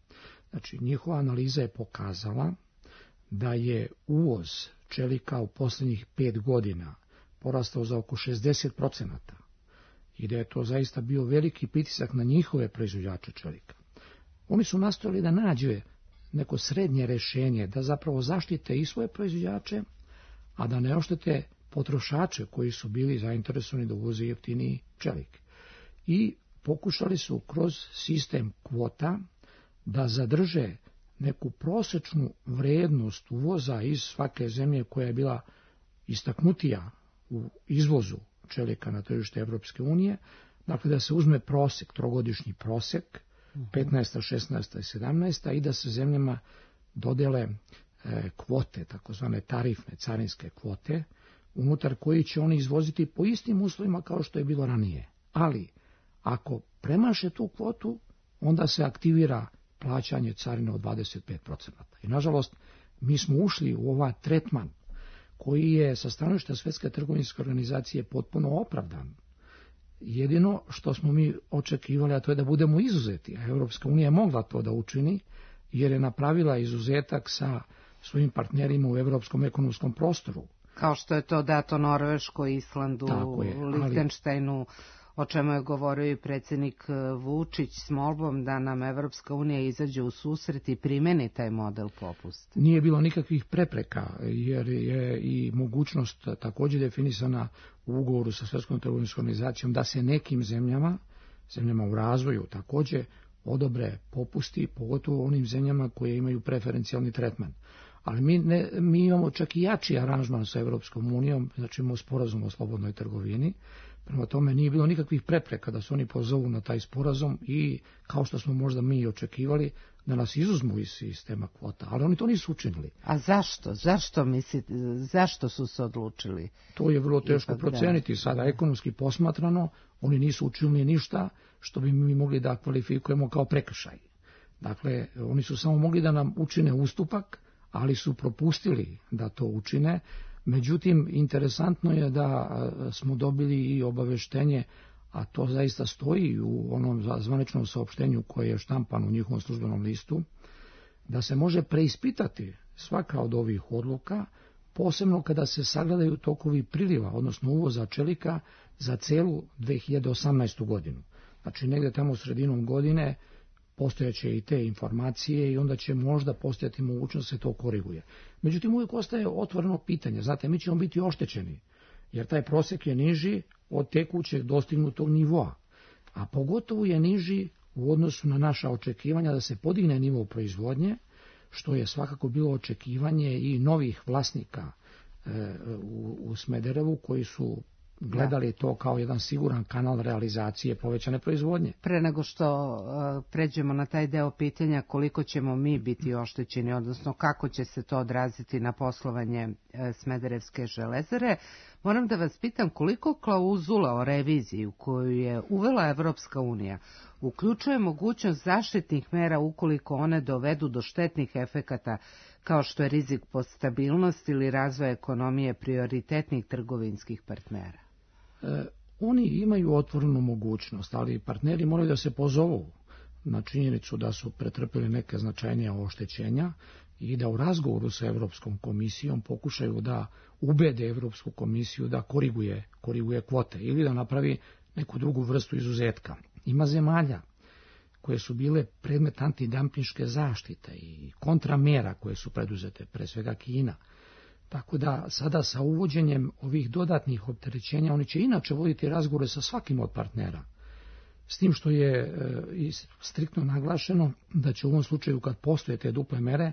Speaker 18: Znači, njihova analiza je pokazala da je uvoz čelika u posljednjih pet godina porastao za oko šezdeset procenata i da je to zaista bio veliki pritisak na njihove proizvođače čelika. Oni su nastojali da nađe neko srednje rešenje, da zapravo zaštite i svoje proizvođače, a da ne oštete potrošače koji su bili zainteresovani da uvoze jeftiniji čelik. I pokušali su kroz sistem kvota da zadrže neku prosečnu vrednost uvoza iz svake zemlje koja je bila istaknutija u izvozu čelika na tržište Evropske unije, dakle da se uzme prosek, trogodišnji prosek, petnaesta, šesnaesta i sedamnaesta i da se zemljama dodele e, kvote, takozvane tarifne, carinske kvote, unutar koji će oni izvoziti po istim uslovima kao što je bilo ranije. Ali, ako premaše tu kvotu, onda se aktivira plaćanje carine od dvadeset pet procenata. I nažalost, mi smo ušli u ovaj tretman koji je sa stanovišta Svjetske trgovinske organizacije potpuno opravdan. Jedino što smo mi očekivali, a to je da budemo izuzeti, a Evropska unija je mogla to da učini, jer je napravila izuzetak sa svojim partnerima u Evropskom ekonomskom prostoru.
Speaker 17: Kao što je to dato Norveškoj, Islandu, Lihtenštajnu, o čemu je govorio i predsjednik Vučić s molbom da nam Evropska unija izađe u susret i primeni taj model popusta.
Speaker 18: Nije bilo nikakvih prepreka, jer je i mogućnost također definisana u ugovoru sa Svjetskom trgovinskom organizacijom da se nekim zemljama, zemljama u razvoju također, odobre popusti, pogotovo onim zemljama koje imaju preferencijalni tretman. Ali mi, ne, mi imamo čak i jači aranžman sa Evropskom unijom, znači imamo sporazum o slobodnoj trgovini, Prema tome nije bilo nikakvih prepreka da se oni pozovu na taj sporazum i kao što smo možda mi očekivali da nas izuzmu iz sistema kvota, ali oni to nisu učinili.
Speaker 17: A zašto? Zašto mislite, zašto su se odlučili?
Speaker 18: To je vrlo teško proceniti. Sada ekonomski posmatrano, oni nisu učinili ništa što bi mi mogli da kvalifikujemo kao prekršaj. Dakle, oni su samo mogli da nam učine ustupak, ali su propustili da to učine. Međutim, interesantno je da smo dobili i obaveštenje, a to zaista stoji u onom zvaničnom saopštenju koje je štampano u njihovom službenom listu, da se može preispitati svaka od ovih odluka, posebno kada se sagledaju tokovi priliva, odnosno uvoza čelika za celu dve hiljade osamnaestu godinu. Znači, negde tamo sredinom godine postojaće i te informacije i onda će možda postojati mogućnost da se to koriguje. Međutim, uvijek ostaje otvoreno pitanje. Znate, mi ćemo biti oštećeni, jer taj prosek je niži od tekućeg dostignutog nivoa, a pogotovo je niži u odnosu na naša očekivanja da se podigne nivo proizvodnje, što je svakako bilo očekivanje i novih vlasnika e, u, u Smederevu koji su gledali to kao jedan siguran kanal realizacije povećane proizvodnje.
Speaker 17: Pre nego što uh, pređemo na taj deo pitanja koliko ćemo mi biti oštećeni, odnosno kako će se to odraziti na poslovanje uh, Smederevske železare, moram da vas pitam koliko klauzula o reviziji koju je uvela Evropska unija uključuje mogućnost zaštitnih mera ukoliko one dovedu do štetnih efekata kao što je rizik po stabilnost ili razvoj ekonomije prioritetnih trgovinskih partnera.
Speaker 18: E, oni imaju otvorenu mogućnost, ali partneri moraju da se pozovu na činjenicu da su pretrpili neke značajnije oštećenja i da u razgovoru sa Evropskom komisijom pokušaju da ubede Evropsku komisiju da koriguje, koriguje kvote ili da napravi neku drugu vrstu izuzetka. Ima zemalja koje su bile predmet antidampinške zaštite i kontramera koje su preduzete, pre svega Kina. Tako da sada sa uvođenjem ovih dodatnih opterećenja oni će inače voditi razgovore sa svakim od partnera. S tim što je e, striktno naglašeno da će u ovom slučaju kad postoje te duple mere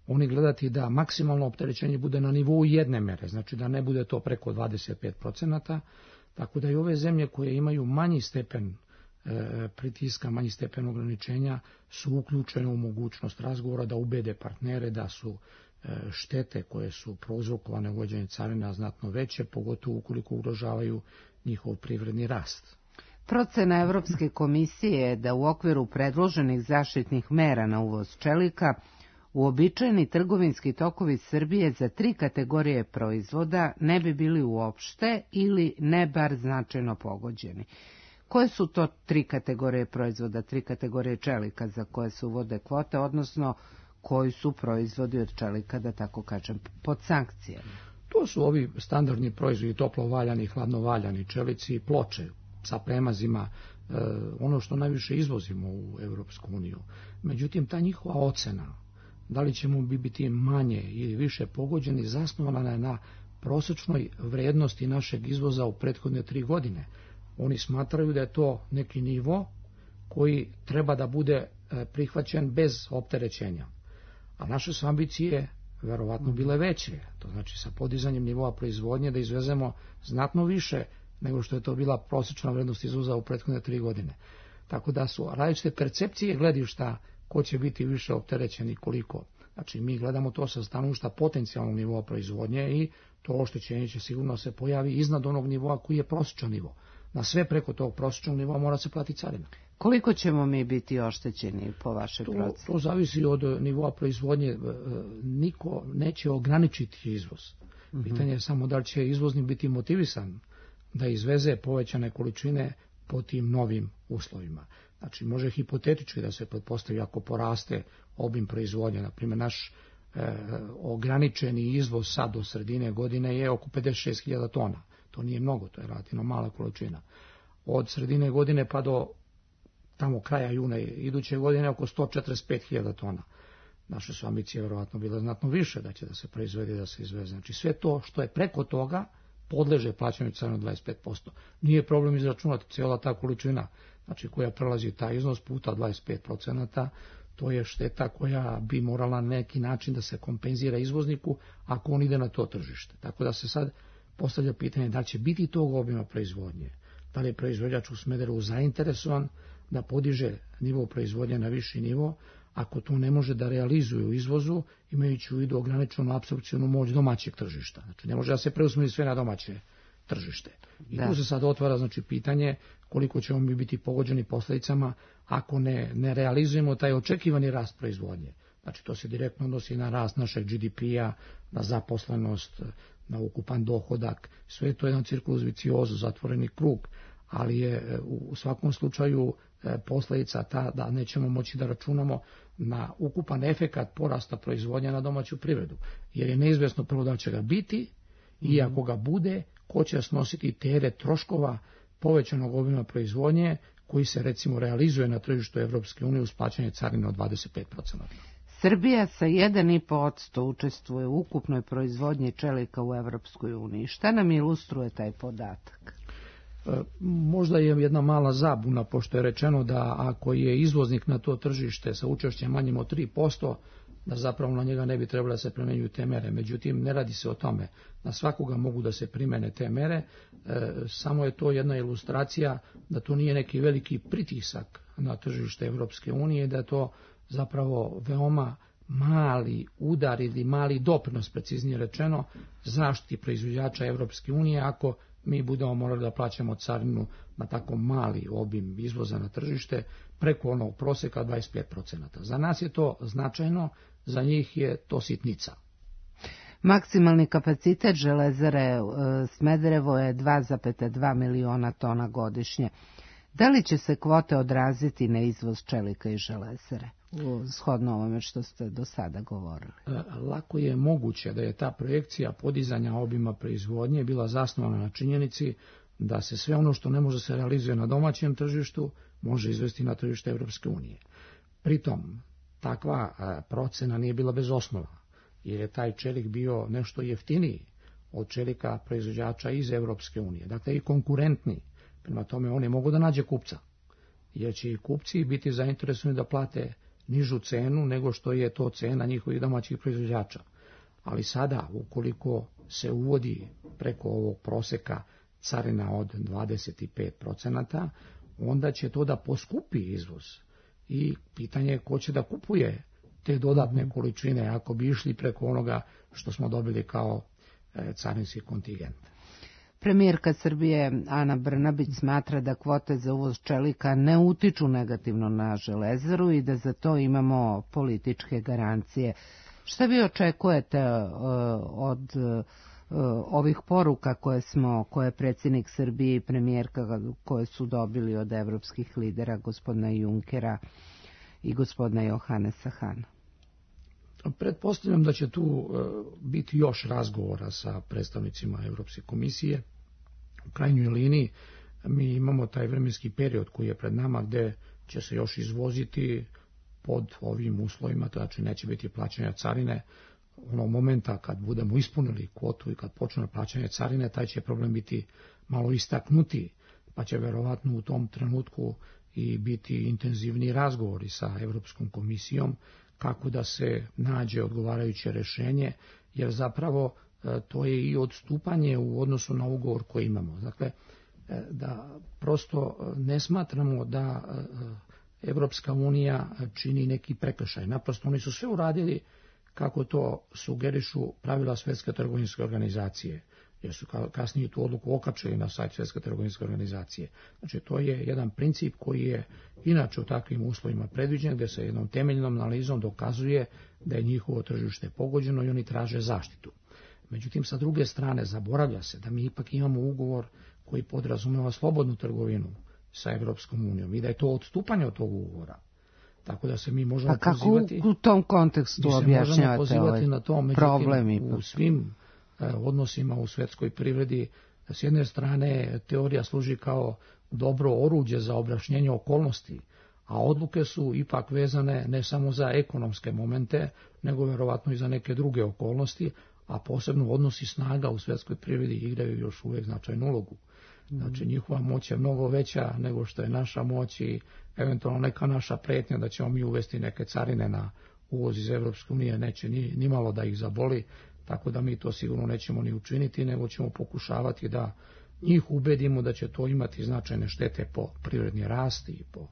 Speaker 18: oni gledati da maksimalno opterećenje bude na nivou jedne mere, znači da ne bude to preko dvadeset pet procenata, tako da i ove zemlje koje imaju manji stepen e, pritiska, manji stepen ograničenja su uključene u mogućnost razgovora da ubede partnere da su štete koje su prouzrokovane uvođenjem carina znatno veće, pogotovo ukoliko ugrožavaju njihov privredni rast.
Speaker 17: Procena Evropske komisije je da u okviru predloženih zaštitnih mera na uvoz čelika uobičajeni trgovinski tokovi Srbije za tri kategorije proizvoda ne bi bili uopšte ili ne bar značajno pogođeni. Koje su to tri kategorije proizvoda, tri kategorije čelika za koje se uvode kvote, odnosno koji su proizvodi od čelika, da tako kažem, pod sankcijama?
Speaker 18: To su ovi standardni proizvodi, toplo valjani, hladno valjani čelici i ploče sa premazima, e, ono što najviše izvozimo u Evropsku uniju. Međutim, ta njihova ocena, da li ćemo biti manje ili više pogođeni, zasnovana je na prosečnoj vrednosti našeg izvoza u prethodne tri godine. Oni smatraju da je to neki nivo koji treba da bude prihvaćen bez opterećenja. A naše su ambicije verovatno bile veće, to znači sa podizanjem nivoa proizvodnje da izvezemo znatno više nego što je to bila prosječna vrednost izvoza u prethodne tri godine. Tako da su različite percepcije gledišta ko će biti više opterećen i koliko. Znači mi gledamo to sa stanovišta potencijalnog nivoa proizvodnje i to oštećenje će sigurno se pojavi iznad onog nivoa koji je prosječan nivo. Na sve preko tog prosječnog nivoa mora se platiti carina.
Speaker 17: Koliko ćemo mi biti oštećeni po vašoj proceni?
Speaker 18: To, to zavisi od nivoa proizvodnje. Niko neće ograničiti izvoz. Mm-hmm. Pitanje je samo da li će izvoznik biti motivisan da izveze povećane količine po tim novim uslovima. Znači može hipotetički da se pretpostavi ako poraste obim proizvodnje. Naprimjer, naš e, ograničeni izvoz sad do sredine godine je oko pedeset šest hiljada tona. To nije mnogo, to je relativno mala količina. Od sredine godine pa do tamo kraja juna iduće godine oko sto četrdeset pet hiljada tona. Naše su ambicije vjerovatno bile znatno više da će da se proizvede i da se izveze. Znači sve to što je preko toga podleže plaćanju carine dvadeset pet posto. Nije problem izračunati cijela ta količina, znači koja prelazi taj iznos puta dvadeset pet procenata, to je šteta koja bi morala na neki način da se kompenzira izvozniku ako on ide na to tržište. Tako da se sad postavlja pitanje da će biti tog obima proizvodnje, da li je proizvođač u Smederevu zainteresovan da podiže nivo proizvodnje na viši nivo, ako to ne može da realizuje u izvozu, imajući u vidu ograničenu apsorpcijonu moć domaćeg tržišta. Znači, ne može da se preusmeri sve na domaće tržište. I da. Tu se sad otvara znači, pitanje koliko ćemo mi biti pogođeni posljedicama ako ne, ne realizujemo taj očekivani rast proizvodnje. Znači, to se direktno odnosi na rast našeg G D P-a, na zaposlenost, na ukupan dohodak. Sve to je jedan cirkulus viciozu, zatvoreni krug, ali je u svakom slučaju posljedica ta da nećemo moći da računamo na ukupan efekat porasta proizvodnja na domaću privredu. Jer je neizvjesno prvo da će ga biti i ako ga bude, ko će snositi teret troškova povećanog obima proizvodnje koji se recimo realizuje na tržištu Evropske unije uz plaćanje carine od dvadeset pet posto.
Speaker 17: Srbija sa jedan i po posto učestvuje u ukupnoj proizvodnji čelika u Evropskoj uniji. Šta nam ilustruje taj podatak?
Speaker 18: Možda je jedna mala zabuna, pošto je rečeno da ako je izvoznik na to tržište sa učešćem manjim od tri posto, da zapravo na njega ne bi trebalo da se primenjuju te mere. Međutim, ne radi se o tome. Na svakoga mogu da se primene te mere, e, samo je to jedna ilustracija da to nije neki veliki pritisak na tržište Evropske unije, da je to zapravo veoma mali udar ili mali doprinos, preciznije rečeno, zaštiti proizvođača Evropske unije ako mi budemo morali da plaćamo carinu na tako mali obim izvoza na tržište preko onog proseka dvadeset pet posto. Za nas je to značajno, za njih je to sitnica.
Speaker 17: Maksimalni kapacitet železare Smederevo je dva zarez dva miliona tona godišnje. Da li će se kvote odraziti na izvoz čelika i železare, shodno ovome što ste do sada govorili?
Speaker 18: Lako je moguće da je ta projekcija podizanja obima proizvodnje bila zasnovana na činjenici da se sve ono što ne može se realizuje na domaćem tržištu može izvesti na tržište Evropske unije. Pritom, takva procena nije bila bez osnova, jer je taj čelik bio nešto jeftiniji od čelika proizvođača iz Evropske unije, dakle i konkurentniji. Prema tome, on je mogu da nađe kupca, jer će i kupci biti zainteresovani da plate nižu cenu nego što je to cena njihovih domaćih proizvođača. Ali sada, ukoliko se uvodi preko ovog proseka carina od dvadeset pet posto, onda će to da poskupi izvoz. I pitanje je ko će da kupuje te dodatne količine ako bi išli preko onoga što smo dobili kao e, carinski kontingent.
Speaker 17: Premijerka Srbije Ana Brnabić smatra da kvote za uvoz čelika ne utiču negativno na železaru i da za to imamo političke garancije. Šta vi očekujete uh, od uh, ovih poruka koje smo, koje je predsjednik Srbije i premijerka koje su dobili od evropskih lidera, gospodina Junkera i gospodina Johannesa Hana?
Speaker 18: Pretpostavljam da će tu uh, biti još razgovora sa predstavnicima Evropske komisije. U krajnjoj liniji mi imamo taj vremenski period koji je pred nama gde će se još izvoziti pod ovim uslovima, znači neće biti plaćanja carine. Onog momenta kad budemo ispunili kvotu i kad počne plaćanje carine, taj će problem biti malo istaknuti, pa će verovatno u tom trenutku i biti intenzivni razgovori sa Evropskom komisijom kako da se nađe odgovarajuće rešenje, jer zapravo to je i odstupanje u odnosu na ugovor koji imamo. Dakle, da prosto ne smatramo da Evropska unija čini neki prekršaj. Naprosto oni su sve uradili kako to sugerišu pravila Svjetske trgovinske organizacije, jer su kasnije tu odluku okačili na sajt Svjetske trgovinske organizacije. Znači, to je jedan princip koji je inače u takvim uslovima predviđen, gdje se jednom temeljnom analizom dokazuje da je njihovo tržište pogođeno i oni traže zaštitu. Međutim, sa druge strane, zaboravlja se da mi ipak imamo ugovor koji podrazumeva slobodnu trgovinu sa Evropskom unijom i da je to odstupanje od tog ugovora. Tako da se mi možemo
Speaker 17: A kako
Speaker 18: pozivati...
Speaker 17: u tom kontekstu objašnjavate ovaj
Speaker 18: na to,
Speaker 17: problem?
Speaker 18: U svim eh, odnosima u svjetskoj privredi, s jedne strane, teorija služi kao dobro oruđe za objašnjenje okolnosti, a odluke su ipak vezane ne samo za ekonomske momente, nego verovatno i za neke druge okolnosti, a posebno odnosi snaga u svjetskoj privredi igraju još uvijek značajnu ulogu. Znači, njihova moć je mnogo veća nego što je naša moć i eventualno neka naša pretnja da ćemo mi uvesti neke carine na uvoz iz Evropske unije neće ni, ni malo da ih zaboli, tako da mi to sigurno nećemo ni učiniti, nego ćemo pokušavati da njih ubedimo da će to imati značajne štete po privredni rast i po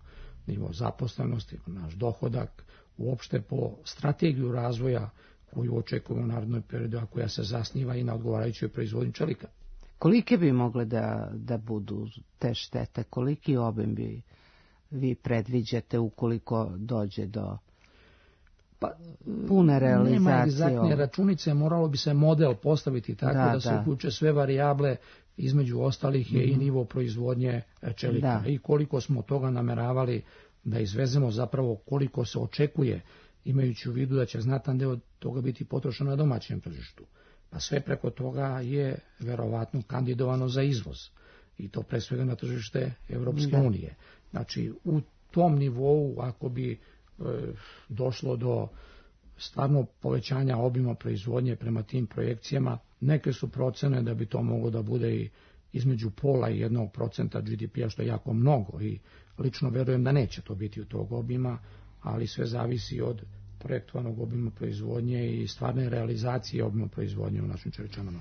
Speaker 18: nivo zaposlenosti, po naš dohodak, uopšte po strategiju razvoja koju očekujemo u narednom periodu, a koja se zasniva i na odgovarajućoj proizvodnji čelika.
Speaker 17: Kolike bi mogle da, da budu te štete? Koliki obim bi vi predviđate ukoliko dođe do
Speaker 18: pa,
Speaker 17: pune realizacije?
Speaker 18: Nema egzaktne računice, moralo bi se model postaviti tako da, da se uključe sve varijable, između ostalih je mm-hmm. i nivo proizvodnje čelika. Da. I koliko smo toga nameravali da izvezemo, zapravo koliko se očekuje, imajući u vidu da će znatan deo toga biti potrošen na domaćem tržištu. Pa sve preko toga je verovatno kandidovano za izvoz. I to pre svega na tržište Evropske unije. Znači, u tom nivou, ako bi e, došlo do stvarno povećanja obima proizvodnje prema tim projekcijama, neke su procene da bi to moglo da bude i između pola i jednog procenta G D P-a, što je jako mnogo. I lično verujem da neće to biti u tog obima, ali sve zavisi od projektovanog obima proizvodnje i stvarne realizacije obima proizvodnje u našim čeličanama.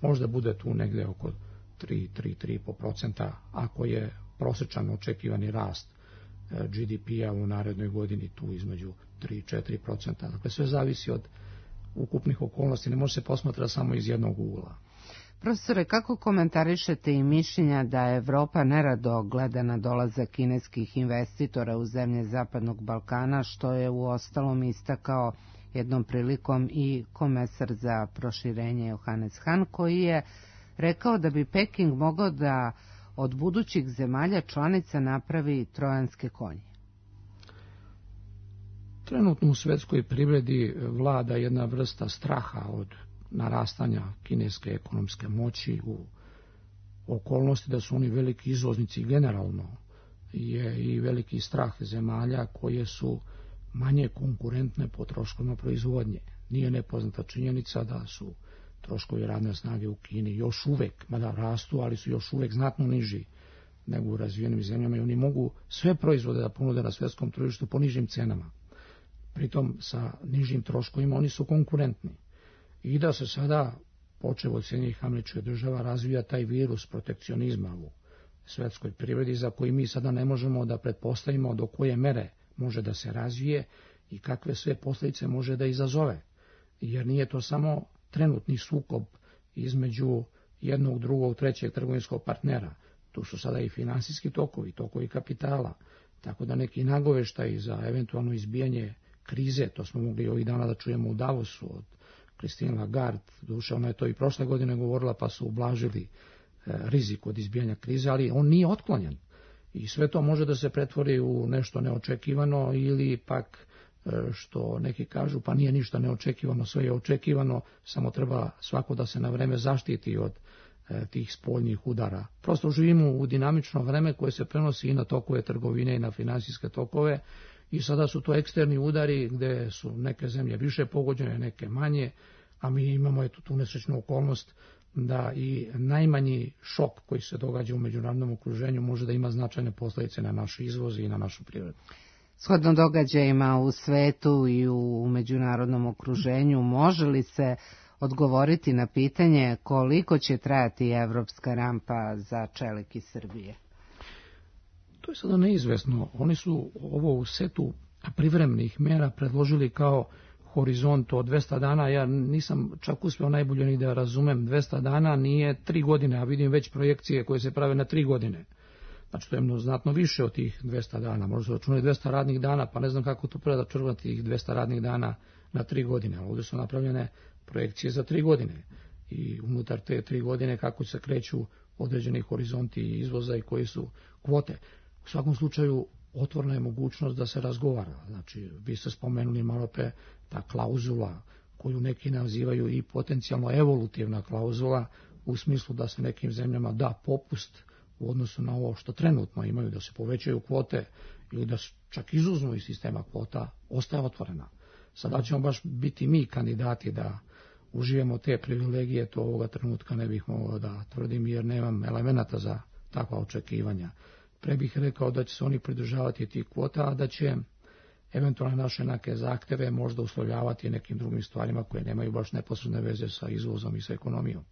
Speaker 18: Možda bude tu negde oko tri do tri zarez pet procenta ako je prosečan očekivani rast G D P-a u narednoj godini tu između tri do četiri procenta. Dakle, sve zavisi od ukupnih okolnosti, ne može se posmatrati samo iz jednog ugla.
Speaker 17: Profesore, kako komentarišete i mišljenja da Evropa nerado gleda na dolazak kineskih investitora u zemlje Zapadnog Balkana, što je u ostalom istakao jednom prilikom i komesar za proširenje Johannes Hahn, koji je rekao da bi Peking mogao da od budućih zemalja članica napravi trojanske konje?
Speaker 18: Trenutno u svetskoj privredi vlada jedna vrsta straha od narastanja kineske ekonomske moći, u okolnosti da su oni veliki izvoznici generalno, je i veliki strah zemalja koje su manje konkurentne po troškovima proizvodnje. Nije nepoznata činjenica da su troškovi radne snage u Kini još uvek, mada rastu, ali su još uvek znatno niži nego u razvijenim zemljama i oni mogu sve proizvode da ponude na svetskom tržištu po nižim cenama. Pritom sa nižim troškovima oni su konkurentni. I da se sada, počev od Sjedinjenih Američkih Država, razvija taj virus protekcionizma u svetskoj privredi, za koji mi sada ne možemo da pretpostavimo do koje mere može da se razvije i kakve sve posljedice može da izazove. Jer nije to samo trenutni sukob između jednog, drugog, trećeg trgovinskog partnera. Tu su sada i finansijski tokovi, tokovi kapitala, tako da neki nagoveštaji za eventualno izbijanje krize, to smo mogli ovih dana da čujemo u Davosu od Christine Lagarde, duše ona je to i prošle godine govorila, pa su ublažili e, rizik od izbijanja krize, ali on nije otklonjen. I sve to može da se pretvori u nešto neočekivano ili pak, e, što neki kažu, pa nije ništa neočekivano, sve je očekivano, samo treba svako da se na vreme zaštiti od e, tih spoljnih udara. Prosto živimo u dinamično vreme koje se prenosi i na tokove trgovine i na finansijske tokove, i sada su to eksterni udari gde su neke zemlje više pogođene, neke manje, a mi imamo eto tu nesrećnu okolnost da i najmanji šok koji se događa u međunarodnom okruženju može da ima značajne posljedice na naš izvoz i na našu privredu.
Speaker 17: Shodno događajima u svetu i u međunarodnom okruženju, može li se odgovoriti na pitanje koliko će trajati evropska rampa za čelik iz Srbije?
Speaker 18: To je sada neizvesno. Oni su ovo u setu privremenih mera predložili kao horizont od dvesta dana. Ja nisam čak uspeo najbolje ni da razumem. dvesta dana nije tri godine, a vidim već projekcije koje se prave na tri godine. Znači to je znatno više od tih dvesta dana. Možda se računaju dvesta radnih dana, pa ne znam kako to preda črvati tih dvesta radnih dana na tri godine. Ovdje su napravljene projekcije za tri godine. I unutar te tri godine kako se kreću određeni horizonti izvoza i koji su kvote. U svakom slučaju otvorena je mogućnost da se razgovara. Znači, vi ste spomenuli malo pre ta klauzula koju neki nazivaju i potencijalno evolutivna klauzula u smislu da se nekim zemljama da popust u odnosu na ovo što trenutno imaju, da se povećaju kvote ili da čak izuzmu iz sistema kvota, ostaje otvorena. Sada ćemo baš biti mi kandidati da uživamo te privilegije, to ovoga trenutka ne bih mogao da tvrdim jer nemam elemenata za takva očekivanja. Pre bih rekao da će se oni pridržavati tih kvota, a da će eventualno naše neke zahteve možda uslovljavati nekim drugim stvarima koje nemaju baš neposredne veze sa izvozom i sa ekonomijom.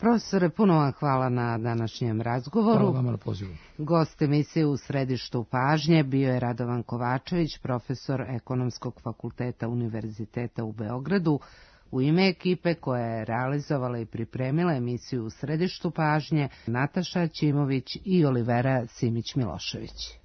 Speaker 17: Profesore, puno vam hvala na današnjem razgovoru.
Speaker 18: Hvala vama na pozivu.
Speaker 17: Gost emisije U središtu pažnje bio je Radovan Kovačević, profesor Ekonomskog fakulteta Univerziteta u Beogradu. U ime ekipe koja je realizovala i pripremila emisiju U središtu pažnje, Nataša Ćimović i Olivera Simić-Milošević.